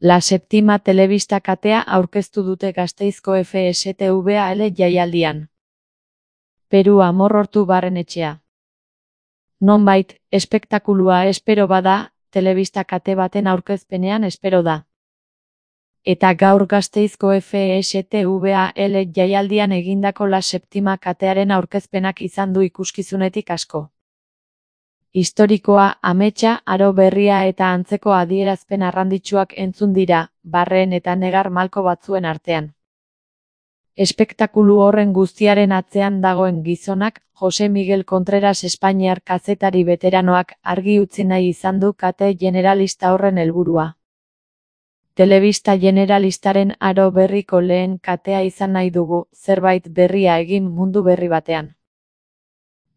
La Septima telebista katea aurkeztu dute Gasteizko FSTVAL jaialdian. Peru Amorortu Barrenetxea. Nonbait, espektakulua espero bada, telebista kate baten aurkezpenean espero da. Eta gaur Gasteizko FSTVAL jaialdian egindako La Septima katearen aurkezpenak izan du ikuskizunetik asko. Historikoa, ametsa, aro berria eta antzeko adierazpen arranditsuak entzun dira, barreen eta negar malko batzuen artean. Espektakulu horren guztiaren atzean dagoen gizonak, Jose Miguel Contreras espainiar kazetari beteranoak argi utzi nahi izan du kate generalista horren helburua. Telebista generalistaren aro berriko lehen katea izan nahi dugu, zerbait berria egin mundu berri batean.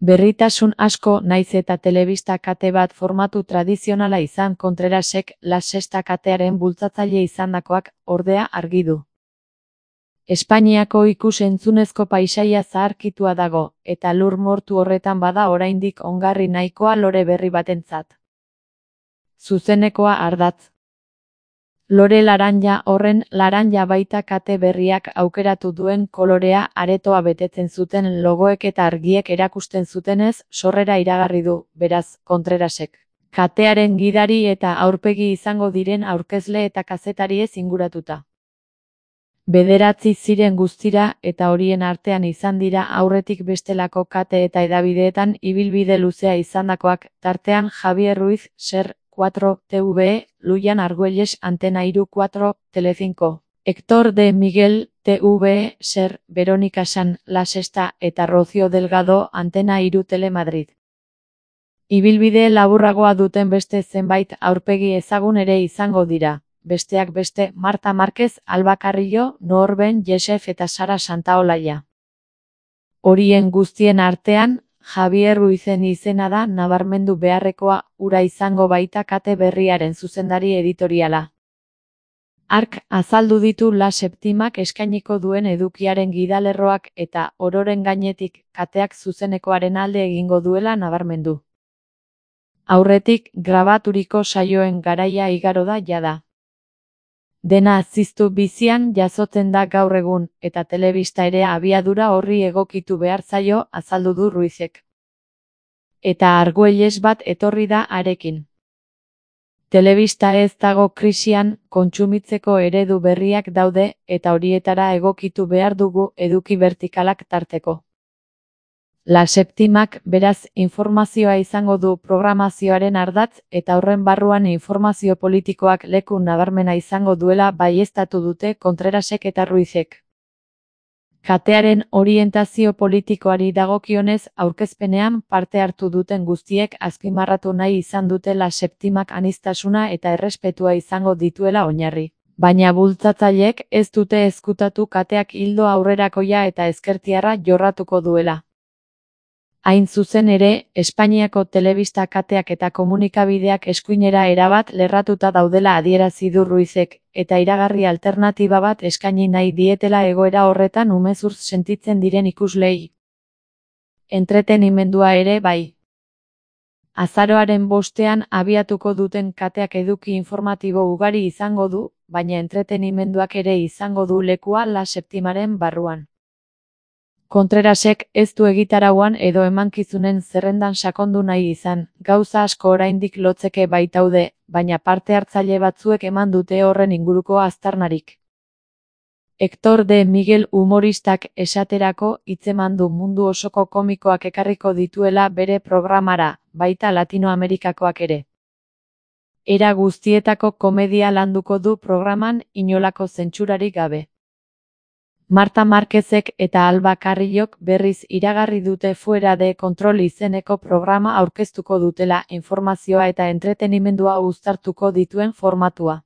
Berritasun asko naiz eta telebista kate bat formatu tradizionala izan Contrerasek La Sexta katearen bultzatzaile izandakoak, ordea argi du. Espainiako ikus-entzunezko paisaia zaharkitua dago, eta lur mortu horretan bada oraindik ongarri nahikoa lore berri batentzat. Zuzenekoa ardatz. Lore laranja horren laranja baita kate berriak aukeratu duen kolorea aretoa betetzen zuten logoek eta argiek erakusten zutenez sorrera iragarri du, beraz, Contrerasek. Katearen gidari eta aurpegi izango diren aurkezle eta kazetariez inguratuta. 9 ziren guztira eta horien artean izan dira aurretik bestelako kate eta hedabideetan ibilbide luzea izandakoak, tartean Javier Ruiz, Ser 4 TV, Luian Argüelles Antena 4, Telecinco, Héctor de Miguel TV, Ser, Verónica San, La Sexta eta Rocío Delgado Antena 3 Telemadrid. Ibilbide laburragoa duten beste zenbait aurpegi ezagun ere izango dira. Besteak beste, Marta Márquez, Alba Carrillo, Noor Ben Yesef eta Sara Santaolalla. Horien guztien artean, Javier Ruizen izena da nabarmendu beharrekoa, hura izango baita kate berriaren zuzendari editoriala. Hark azaldu ditu La Septimak eskainiko duen edukiaren gidalerroak eta ororen gainetik kateak zuzenekoaren alde egingo duela nabarmendu. Aurretik, grabaturiko saioen garaia igaro da jada. Dena ziztu bizian jasotzen da gaur egun, eta telebista ere abiadura horri egokitu behar zaio, azaldu du Ruizek. Eta Argüelles bat etorri da harekin. Telebista ez dago krisian, kontsumitzeko eredu berriak daude, eta horietara egokitu behar dugu eduki vertikalak tarteko. La Septimak, beraz, informazioa izango du programazioaren ardatz eta horren barruan informazio politikoak leku nabarmena izango duela baieztatu dute Contrerasek eta Ruizek. Katearen orientazio politikoari dagokionez aurkezpenean parte hartu duten guztiek azpimarratu nahi izan dute La Septimak aniztasuna eta errespetua izango dituela oinarri. Baina bultzatzaileek ez dute ezkutatu kateak ildo aurrerakoia eta ezkertiarra jorratuko duela. Hain zuzen ere, Espainiako telebista kateak eta komunikabideak eskuinera erabat lerratuta daudela adierazi du Ruizek, eta iragarri alternatiba bat eskaini nahi dietela egoera horretan umezur sentitzen diren ikuslei. Entretenimendua ere bai. Azaroaren 5ean abiatuko duten kateak eduki informatibo ugari izango du, baina entretenimenduak ere izango du lekua La Septimaren barruan. Contrerasek ez du egitarauan edo emankizunen zerrendan sakondu nahi izan, gauza asko oraindik lotzeke baitaude, baina parte hartzaile batzuek eman dute horren inguruko aztarnarik. Héctor de Miguel humoristak esaterako hitzeman du mundu osoko komikoak ekarriko dituela bere programara, baita Latinoamerikakoak ere. Era guztietako komedia landuko du programan inolako zentsurarik gabe. Marta Márquezek eta Alba Carrillok berriz iragarri dute Fuera de Control izeneko programa aurkeztuko dutela informazioa eta entretenimendua uztartuko dituen formatua.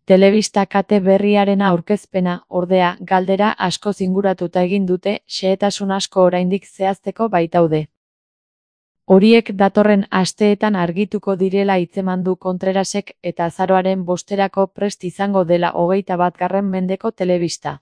Telebista kate berriaren aurkezpena, ordea, galdera asko inguratuta egin dute, xehetasun asko oraindik zehazteko baitaude. Horiek datorren asteetan argituko direla hitzeman du Contrerasek eta azaroaren 5erako prest izango dela 21. mendeko telebista.